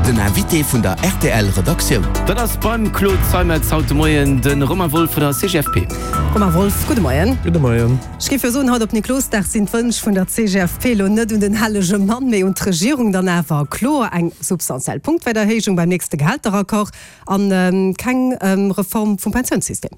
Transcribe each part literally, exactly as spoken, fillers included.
Den Invité vun der R T L Redaktioun. Dat ass beim Claude Zeimetz haut de Moien de Romain Wolff vun der C G F P. Romain Wolff, gudde Moien. Gudde Moien. Ech géif jo soen, haut op Niklosdag sinn d'Wënsch vun der C G F P elo net un den hellege Mann, mee un d'Regierung dann awer kloer, eng substantiell Punktwäerterhéijung beim nächste Gehälteraccord an keng Reform vum Pensiounssystem.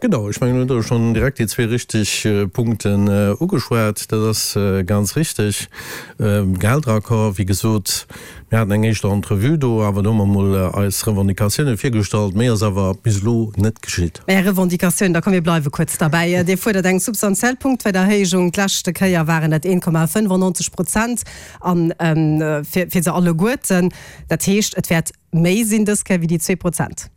Genau, ech mengen, hutt schonn direkt déi zwee richteg Punkten ugeschwat. Dat ass ganz richteg. Gehälteraccord, wéi gesot, mir haten eng éischt Entrevue do, awer do hu mer mol eis Revendicatioune virgestallt. Méi ass awer bis elo net geschitt. Är Revendicatioun, da komm mir bleiwe kuerz derbäi. Dir fuerdert eng substantiell Punktwäerterhéijung. D'leschte Kéier waren dat een Komma fënnefannonzeg Prozent an fir fir se alleguerten. Dat heescht, et wäert méi sinn dës Kéier wéi déi zwee Prozent.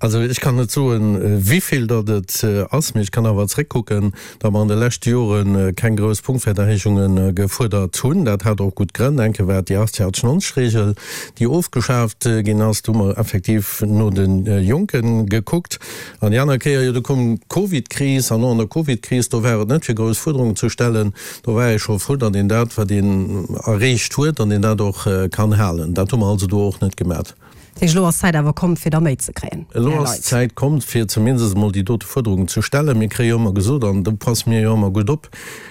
Also ech kann net soen, wéivill datt et ass, mee ech kann awer zréckkucken, datt mer an de leschte Jore keng grouss Punktwäerterhéijunge gefuerdert hunn. Dat hat och gutt Grënn. Eng Kéier war et déi achtzeg achtzeg-neunzeg-Regel, déi ofgeschaaft ginn ass. Do hu mer effektiv no de Jonke gekuckt. An déi aner Kéier, jo, do koum d'Covidkris, an och an der Covidkris, do war et net fir grouss Fuerderungen ze stellen. Do war ee scho frou, datt een dat, wat een erreecht huet, datt een dat och kann halen. Dat hu mer also do och net gemat. Dat heescht, elo ass d'Zäit awer komm, fir der méi ze kréien, Elo Här ass Leit. d'Zäit komm, fir zumindest emol déi dote Fuerderungen ze stellen. Mir kréie jo ëmmer gesot, an do passe mir jo ëmmer gutt op,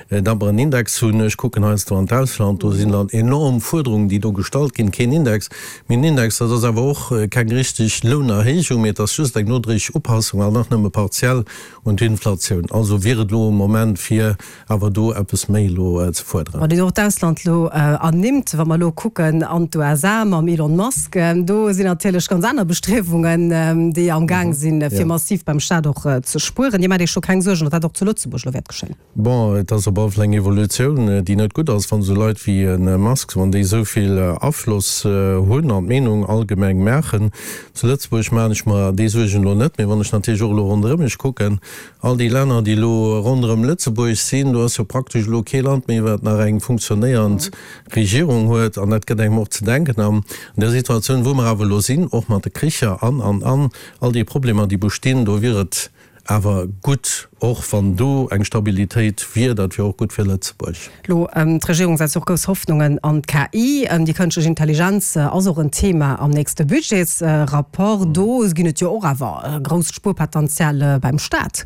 datt mer en Index hunn. Ech kucken heiansdo an d'Ausland, do sinn dann enorm Fuerderungen, déi do gestallt ginn. Keen Index. Mee en Index, dat ass awer och keng richteg Lounerhéijung, mee et ass just eng nodréiglech Upassung, an nach nëmme partiell, un d'Inflatioun. Also wier et elo e Moment, fir awer do eppes méi elo ze fuerderen. Wann Dir och d'Ausland elo ernimmt, wa mer elo kucken an d'U S A mam Elon Musk, do sinn natierlech ganz aner Bestriewungen, déi am Gaang sinn, fir massiv beim Staat och ze spueren. Dir maacht Iech scho keng Suergen, datt dat och zu Lëtzebuerg elo wäert geschéien? Bon, et ass op alle Fall eng Evolutioun, déi net gutt ass, wann esou Leit wéi e Musk, wann déi esou vill Afloss hunn an d'Meenung allgemeng maachen. Zu Lëtzebuerg maachen ech mer déi Suergen elo net, mee wann ech natierlech och elo ronderëm mech kucken, all déi Länner, déi elo ronderëm Lëtzebuerg sinn, do ass jo praktesch elo kee Land méi, wat nach eng funktionéierend Regierung huet, an dat gëtt engem och ze denken. An der Situatioun, wou mer awer elo sinn, och mat de Kricher an, an, an all déi Problemer, déi bestinn, do wier et awer gutt, och wann do eng Stabilitéit wier, dat wier och gutt fir Lëtzebuerg. Elo, d'Regierung setzt och grouss Hoffnungen an d'K I. Déi kënschtlech Intelligenz ass och en Thema am nächste Budgetsrapport. Do ginn et jo och awer grousst Spuerpotential beim Staat.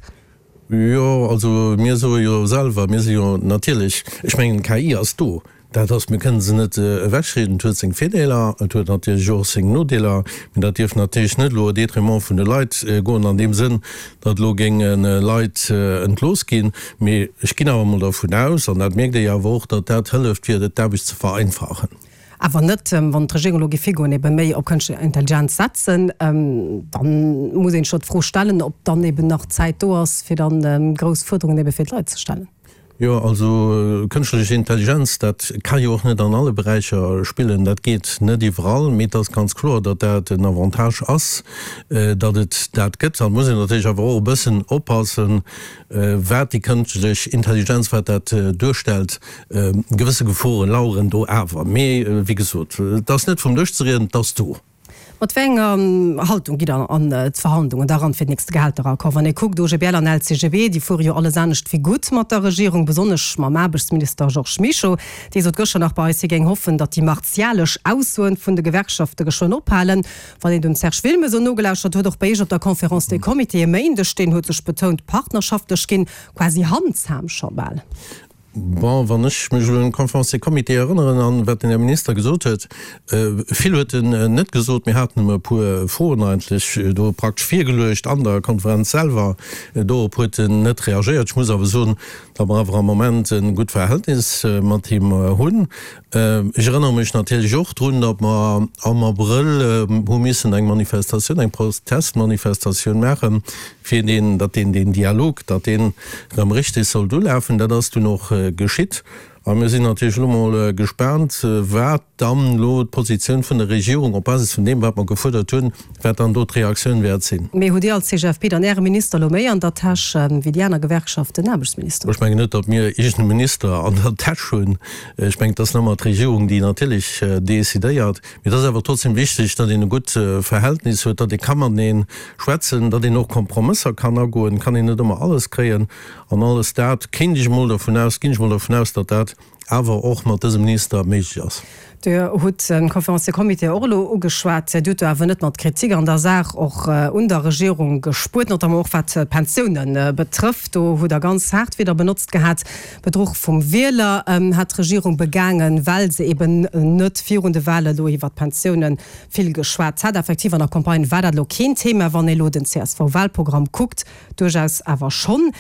Jo, also mir soe jo selwer, mir si jo natierlech, ech mengen, d'K I ass do, dat ass, mir kënnen se net ewechrieden, et huet seng Virdeeler, et huet natierlech och seng Nodeeler, mee dat dierf natierlech net elo au détriment vun de Leit goen an deem Sënn, datt elo géinge Leit entlooss ginn. Mee ech ginn awer emol dervun aus, an dat mierkt ee jo awer och, datt dat hëlleft fir d'Aarbecht ze vereinfachen. Awer net, wann d'Regierung elo géif higoen, ebe méi op kënschtlech Intelligenz setzen, dann muss een scho d'Fro stellen, ob dann eben nach Zäit do ass, fir dann grouss Fuerderungen ebe fir d'Leit ze stellen. Jo, also kënschtlech Intelligenz, dat ka jo och net an alle Beräicher spillen, dat geet net iwwerall, mee et ass ganz kloer, datt dat en Avantage ass, datt et dat gëtt. An et muss een natierlech awer och e bëssen oppassen, wat déi kënschtlech Intelligenz, wat dat duerstellt. Gewësse Geforen laueren do awer. Mee wéi gesot, et ass net vum Dësch ze rieden, et ass do. Mat wéi enger Haltung gitt Der an d'Verhandlungen da ran fir den nächste Gehälteraccord? Wann ee kuckt, O G B L an L C G B, déi fuere jo alles anescht wéi gutt mat der Regierung, besonnesch mam Aarbechtsminister Georges Mischo. Dee sot gëschter nach bei eis, hie géing hoffen, datt déi martialesch Aussoen vun de Gewerkschafte geschwënn ophalen. Wann een dem Serge Wilmes esou nogelauschtert huet, och bei Iech op der Conférence des Comités e Méindeg, deen huet sech betount partnerschaftlech ginn, quasi handsam scho bal. Bon, wann ech mech elo un d'Conférence des Comités erënneren an wat den Här Minister gesot huet, vill huet en net gesot, mir haten em e puer Froen eigentlech do praktesch virgeluecht an der Konferenz selwer, dorop huet en net reagéiert. Ech muss awer soen, datt mer awer am Moment e gutt Verhältnis mat him hunn. Ech erënnere mech natierlech och drun, datt mer am Abrëll hu missen eng Manifestatioun, eng Protestmanifestatioun maachen, fir deen, datt deen, deen Dialog, datt deen erëm richteg sollt ulafen. Dat ass dunn och geschitt. A mir sinn natierlech elo mol gespaant, wat dann elo d'Positioun vun der Regierung op Basis vun deem, wat mer gefuerdert hunn, wat dann do d'Reaktioun wäert sinn. Mee hutt Dir als C G F P dann Äre Minister elo méi an der Täsch wéi déi aner Gewerkschaften den Aarbechtsminister? Ech mengen net, datt mir iergend e Minister an der Täsch hunn. Ech mengen, et ass nëmmer d'Regierung, déi natierlech decidéiert. Mee et ass awer trotzdem wichteg, datt een e gutt Verhältnis huet, datt ee ka matenee schwätzen, datt een och Kompromësser kann agoen. Et kann een net ëmmer alles kréien. An alles dat kéint ech emol dervun aus, ginn ech emol dervun aus, datt dat awer och mat dësem Minister méiglech ass. Dir hutt de Conférencier Comité och elo ugeschwat. Dir hutt do awer net mat Kritik an der Saach och un der Regierung gespuert, notamment och wat d'Pensiounen betrëfft. Do hutt Der ganz haart Wierder benotzt gehat. Bedruch vum Wieler hätt d'Regierung begaangen, well se eben net virun de Wahlen elo iwwert d'Pensiounen vill geschwat hätt. Effektiv, an der Campagne war dat elo keen Thema, wann ee elo den C S V-Wahlprogramm kuckt, duerchaus awer schonn.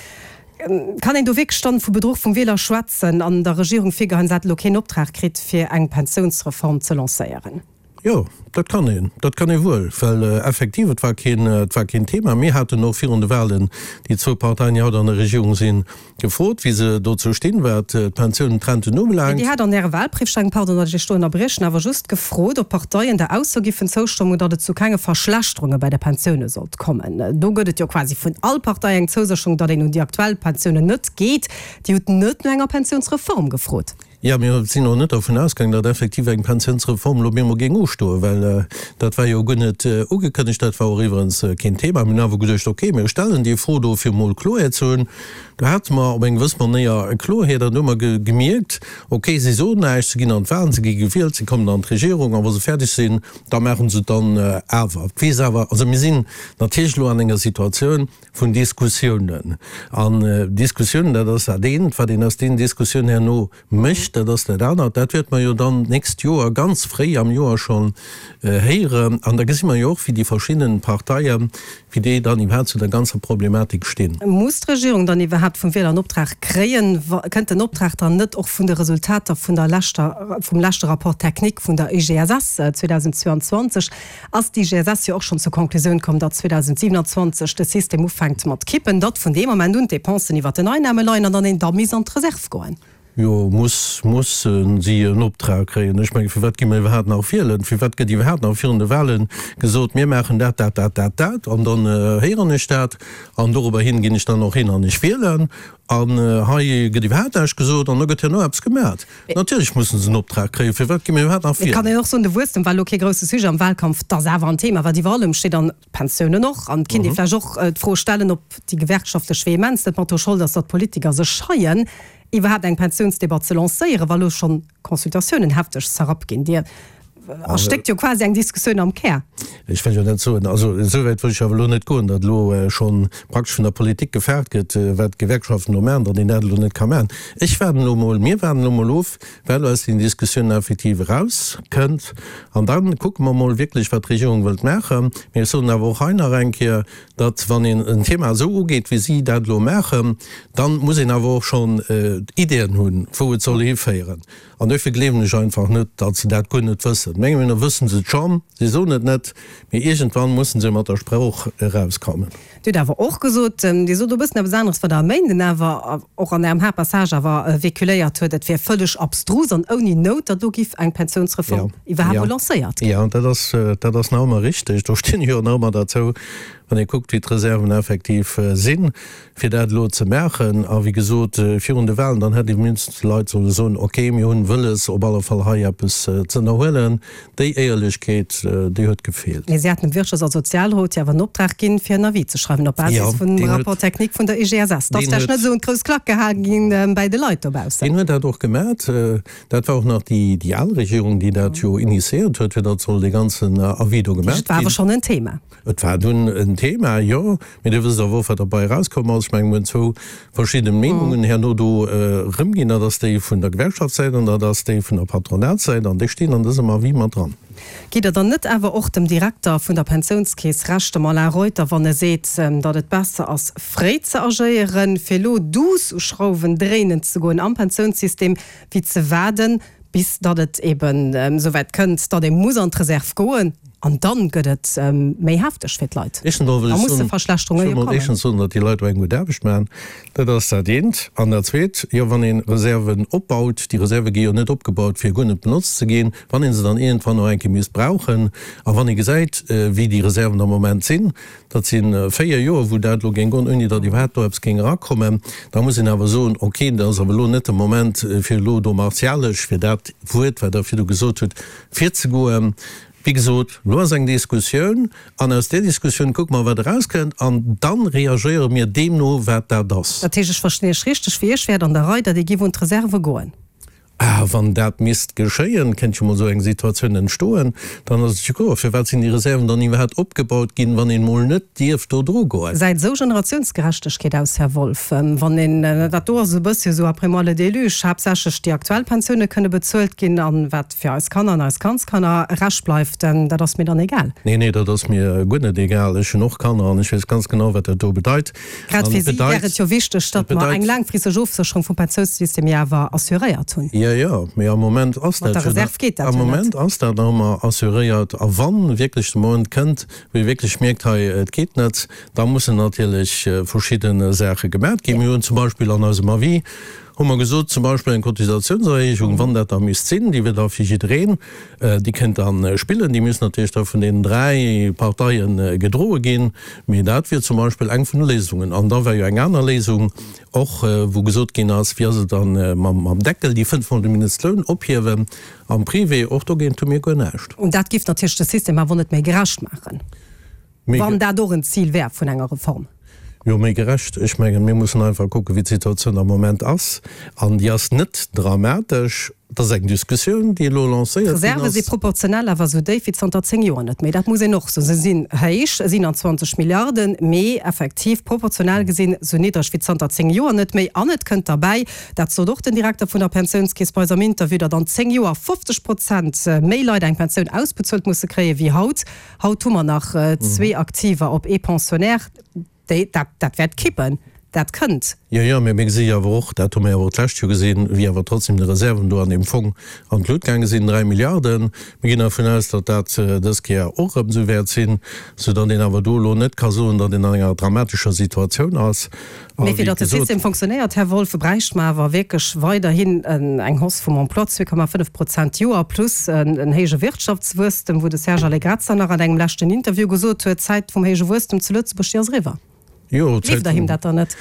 Kann een do wierklech dann vu Bedruch vum Wieler schwätzen an der Regierung virgeheien, se hätt elo keen Optrag kritt, fir eng Pensiounsreform ze lancéieren? Jo, dat kann een, dat kann ee wuel, well effektiv, et war keen, et war keen Thema. Mir haten och virun de Wahlen déi zwou Parteien, déi haut an der Regierung sinn, gefrot, wéi se dozou stinn, wat d'Pensiounen, d'Renten Mee ubelaangt. Dir hat an Äre Wahlbriefsteng, pardon, datt ech Iech do ënnerbriechen, awer just gefrot, ob d'Parteien der Ausso giffen zoustëmmen, datt et zu kenge Verschlechterunge bei de Pensioune sollt kommen. Do gëtt et jo quasi vun all Partei eng Zousécherung, datt een un déi aktuell Pensiounen net geet. Dir hutt net no enger Pensiounsreform gefrot. Jo, mir sinn och net dervun ausgaangen, datt effektiv eng Pensiounsreform elo op eemol géing ustoen, well dat war jo guer net ugekënnegt. Dat war och iwwerens keen Thema. Mir hunn awer geduecht, okay, mir stellen déi Fro do, fir emol Kloerheet ze hunn. Do hate mer op eng gewëss Manéier Kloerheet an do hu mer gemierkt, okay, si soen näischt, se ginn an d'Wahlen, se gi gewielt, se kommen an d'Regierung a wa se fäerdeg sinn, da maache se et dann awer. Et weess awer, also mir sinn natierlech elo an enger Situatioun vun Diskussiounen. An Diskussiounen, dat ass dat eent, wat een aus deenen Diskussiounen herno mécht, dat ass dat anert. Dat wäerte mer jo dann d'nächst Joer ganz fréi am Joer schonn héieren. An da gesi mer jo och, wéi déi verschidden Parteien, wéi déi dann iwwerhaapt zu der ganzer Problematik stinn. Muss d'Regierung dann iwwerhaapt vum Wieler en Optrag kréien? Kënnt den Optrag dann net och vun de Resultater vun der leschter, vum leschte Rapport technique vun der I G S S zweedausendzwouanzwanzeg? Ass d'I G S S jo och schonn zur Konklusioun komm, datt zweedausendsiewenanzwanzeg de System ufänkt mat kippen, datt vun deem Moment un d'Depensen iwwert den Einnahme leien an dann een da misst an d'Reserv goen? Jo, muss, mussen si en Optrag kréien? Ech mengen, firwat gi mer iwwerhaapt nach wielen? Firwat gëtt iwwerhaapt nach virun de Wahlen gesot, mir maachen dat, dat, dat, dat, dat, an dann héieren ech dat an dorobber hin ginn ech dann och hin an ech wielen? An hei gëtt iwwerhaapt näischt gesot an da gëtt herno eppes gemat. Natierlech mussen se en Optrag kréien. Firwat gi mir iwwerhaapt nach Et kann wielen? een och soen, de Wuesstem war elo kee grousse Sujet am Wahlkampf, dat ass awer en Thema, wat iwwer allem steet, an d'Pensiounen och. An et kinnt ee vläicht och d'Fro stellen, ob déi gewerkschaftlech Vehemenz net mat dru Schold ass, datt d'Politiker sech scheien, iwwerhaapt eng Pensiounsdebatt ze lancéieren, wa lo schonn Consultatiounen hefteg zerrappt ginn. Dir erstéckt jo quasi eng Diskussioun am Kär. Ech wëll jo net soen, also esou wäit wëll ech awer elo net goen, datt elo scho praktesch vun der Politik gefaart gëtt, wat d'Gewerkschaften do maachen, datt een dat elo net ka maachen. Ech waarden elo mol, mir waarden elo mol of, wat elo aus den Diskussiounen effektiv erauskënnt, an da kucke mer mol wierklech, wat d'Regierung wëllt maachen. Mee ech soen awer och hei nach eng Kéier, datt wann een en Thema esou ugeet, wéi si dat elo maachen, da muss een awer och schonn Ideeën hunn, wou et soll hiféieren. An duerfir gleewen ech einfach net, datt se dat guer net wëssen. Menge Meenung no wëssen se et schonn, si soen et net, mee iergendwann mussen se mat der Sprooch erauskommen. Dir hutt awer och gesot, Dir sot e bëssen eppes aneres, wat Der e Méinden awer och an Ärem Haaptpassage awer véhiculéiert huet, et wier vëlleg abstrus an ouni Nout, datt do giff eng Pensiounsreform iwwerhaapt mol lancéiert ginn. Jo, dat ass, dat ass nach ëmmer richteg. Do stinn ech jo nach ëmmer derzou, wann ee kuckt, wéi d'Reserven effektiv sinn, fir dat elo ze maachen. A wéi gesot, virun de Wahlen, dann hätt ee mindestens de Leit solle soen, okay, mir hunn wëlles, op alle Fall hei eppes ze ënnerhuelen. Déi Éierlechkeet, déi huet gefeelt. Mee si haten dem Wirtschafts a Sozialrot jo awer en Optrag ginn, fir en Avis ze schreiwen op Basis vum Rapport technique vun der I G S S. Dat ass vläicht net esou un d'grouss Klack gehae ginn bäi de Leit dobaussen. Deen huet dat och gemat. Dat war och nach déi al Regierung, déi dat jo initiéiert huet, fir datt soll dee ganzen Avis do gemat ginn. Et war awer schonn en Thema. Et war dunn en Thema, jo. Mee Dir wësst awer och, wat derbei erauskomm ass. Ech mengen, mir hunn zwou verschidde Meenungen herno do erëmginn. Dat ass déi vun der Gewerkschaftssäit an dat ass déi vun der Patronatssäit. An déi stinn an dësem Avis mat dran. Gitt Der dann net awer och dem Direkter vun der Pensiounskeess Recht, dem Alain Reuter, wann e seet, datt et besser ass, fréi ze agéieren, fir elo duuss u Schrauwen dréinen ze goen am Pensiounssystem, wéi ze waarden, bis datt et eben esouwäit kënnt, datt ee muss an d'Reserv goen an dann gëtt et méi hefteg fir d'Leit. Éischtens emol wëll Da ech musse soen, ech Verschlechterunge wëll jo mol kommen. éischtens soen, datt déi Leit do eng gutt Aarbecht maachen. Dat ass dat eent. An dat Zweet, jo, wann ee Reserven opbaut, déi Reserve gi jo net opgebaut, fir guer net benotzt ze ginn, wann ee se dann iergendwann och eng Kéier misst brauchen a wann ee gesäit, wéi déi Reserven am Moment sinn, dat si véier Joer, wou dat elo géing goen, ouni datt iwwerhaapt do eppes géing erakommen, da muss een awer soen, okay, dat ass awer elo net de Moment, fir elo do martialesch, fir dat Wuert, wat Der virdu gesot hutt, virzegoen. Wéi gesot, elo ass eng Diskussioun an aus där Diskussioun kucke mer, wat erauskënnt an da reagéiere mir deemno, wat dat ass. Dat heescht, ech verstinn Iech richteg, fir Iech wär et an der Rei, datt ee giff un d'Reserve goen? Ah, wann dat misst geschéien, kéint jo mol esou eng Situatioun entstoen, dann ass et jo kloer, firwat sinn déi Reserven dann iwwerhaapt opgebaut ginn, wann een mol net dierf do dru goen? Gesäit esou Generatiounsgerechtegkeet aus, Här Wolff, wann een, dat do ass e bëssche sou après moi le déluge, haaptsächlech déi aktuell Pensioune kënne bezuelt ginn an wat fir eis Kanner an eis Kandskanner Rescht bleift, dat ass mir dann egal? Nee, nee, dat ass mir guer net egal. Ech hunn och Kanner an ech weess ganz genau, wat dat do bedeit. Grad fir si wär et jo wichteg, datt mer eng laangfristeg Ofsécherung vum Pensiounssystem jo awer assuréiert hunn. Jo, jo, mee am Moment ass dat jo nach, am Moment ass dat nach ëmmer assuréiert. A wa wierklech de Moment kënnt, wou ee wierklech mierkt, hei, et geet net, da mussen natierlech verschidde Saache gemaat ginn. Mir hunn zum Beispill an eisem Avis hu mer gesot, zum Beispill eng Cotisatiounserhéijung, wann dat da misst sinn, déi wier da fir jiddereen, déi kënnt da spillen, déi misst natierlech da vun deenen dräi Parteie gedroe ginn, mee dat wier zum Beispill eng vun de Léisungen. An da war jo eng aner Léisung och, wou gesot ginn ass, wéi ass et dann mam Deckel, déi fënnf Mol de Mindestloun ophiewen am Privé, och dogéint hu mir guer näischt. Und dat géif natierlech de System awer net méi gerecht maachen, wann dat och en Zil wär vun enger Reform. Jo, méi gerecht. Ech mengen, mir mussen einfach kucken, wéi d'Situatioun am Moment ass. An déi ass net dramatesch. Et ass eng Diskussioun, déi elo lancéiert ginn ass. D'Reserve si proportionell awer esou déif wéi zanter zéng Joer net méi. Dat muss een och soen. Se sinn héich, siebenundzwanzeg Milliarden, mee effektiv proportionell gesinn esou niddreg wéi zanter zéng Joer net méi. An et kënnt derbäi, dat sot och den Direkter vun der Pensiounskeess bei eis am Interview, datt an zéng Joer fofzeg Prozent méi Leit eng Pensioun ausbezuelt musse kréie wéi haut. Haut hu mer nach zwee Aktiver op ee Pensionnaire. Déi, dat, dat wäert kippen, dat kënnt. Jo, jo, mä mir gesi jo awer och, dat hu mir awer och d'lescht Joer gesinn, wéi awer trotzdem déi Reserven do an deem Fong an d'Lut gaange sinn, dräi Milliarden. Mir ginn dervun aus, datt dat dës Kéier och erëm esou wäert sinn, soudatt een awer do elo net ka soen, datt een an enger dramatescher Situatioun ass. Mee fir datt de System fonctionnéiert, Här Wolff, bräichte mer awer wierklech weiderhin eng Hausse vum Emploi, zwee Komma fënnef Prozent d'Joer, plus en héije Wirtschaftswuesstem, wou de Serge Allegrezza nach an engem leschten Interview gesot huet, d'Zäit vum héije Wuesstem zu Lëtzebuerg, déi ass eriwwer. Gleeft Der him dat dann net?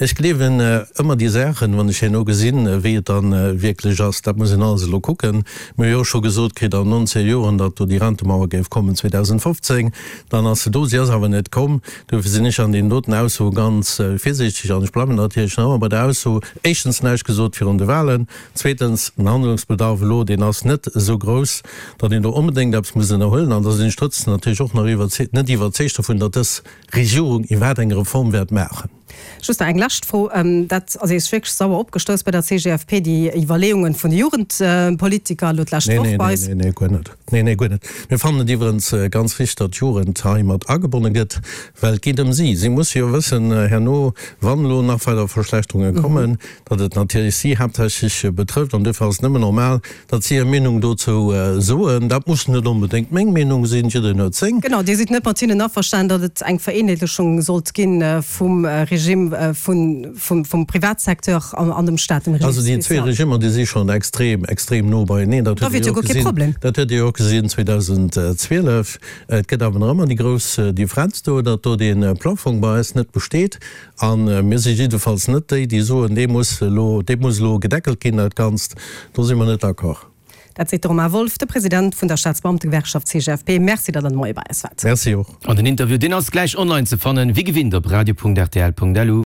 Ech gleewen ëmmer déi Saachen, wann ech herno gesinn, wéi et dann wierklech ass. Dat muss een alles elo kucken. Mir hu jo och scho gesot kritt an nonzéng Joren, datt do déi Rentemauer géif kommen zweedausendfofzéng. Dann ass se do, si ass awer net komm. Duerfir sinn ech an deenen doten Aussoe ganz virsiichteg an ech bleiwen natierlech nach ëmmer bei der Ausso, éischtens näischt gesot virun de Wahlen, zweetens den Handlungsbedarf elo, deen ass net esou grouss, datt een do onbedéngt eppes muss ënnerhuelen. An da sinn ech trotzdem natierlech och nach net iwwerzeegt dovun, datt dës Regierung iwwerhaapt eng Reform wäert maachen. Just nach eng lescht Fro, dat ass Iech wierklech sauer opgestouss bei der C G F P, déi Iwwerleeungen vun de Jugendpolitiker elo d'lescht Woch bei eis? Nee, nee, nee, guer net. Nee, nee, guer net. Mir fannen et iwwerens ganz wichteg, datt d'Jugend hei mat agebonne gëtt, well et geet ëm si. Si musse jo wëssen herno, wann elo nach weider Verschlechterunge kommen, datt et natierlech si haaptsächlech betrëfft. An duerfir ass et nëmmen normal, datt si hir Meenung dozou soen. Dat muss net onbedéngt meng Meenung sinn, jiddereen huet seng. Genau, Dir sidd net mat hinnen averstanen, datt et eng Vereenheetlechung sollt gi vum Regime vum Privatsecteur an dem Staat, dem Régime spécial. Also déi zwee Regimmer, déi si schonn extrem, extrem no beieneen. Dat huet Dir jo och gesinn, dat huet Dir jo och gesinn zweedausendzwielef. Et gëtt awer nach ëmmer déi grouss Differenz do, datt do dee Plafong bei eis net besteet. A mir si jiddefalls net déi, déi soen, dee muss elo, dee muss elo gedeckelt ginn, dat Ganzt. Do si mer net d'accord. Dat seet de Romain Wolff, de President vun der Staatsbeamtegewerkschaft C G F P. Merci, datt Der de Moie bei eis waart. Merci och. An den Interview, deen ass gläich online ze fannen, wéi gewinnt op radio Punkt R T L Punkt L U.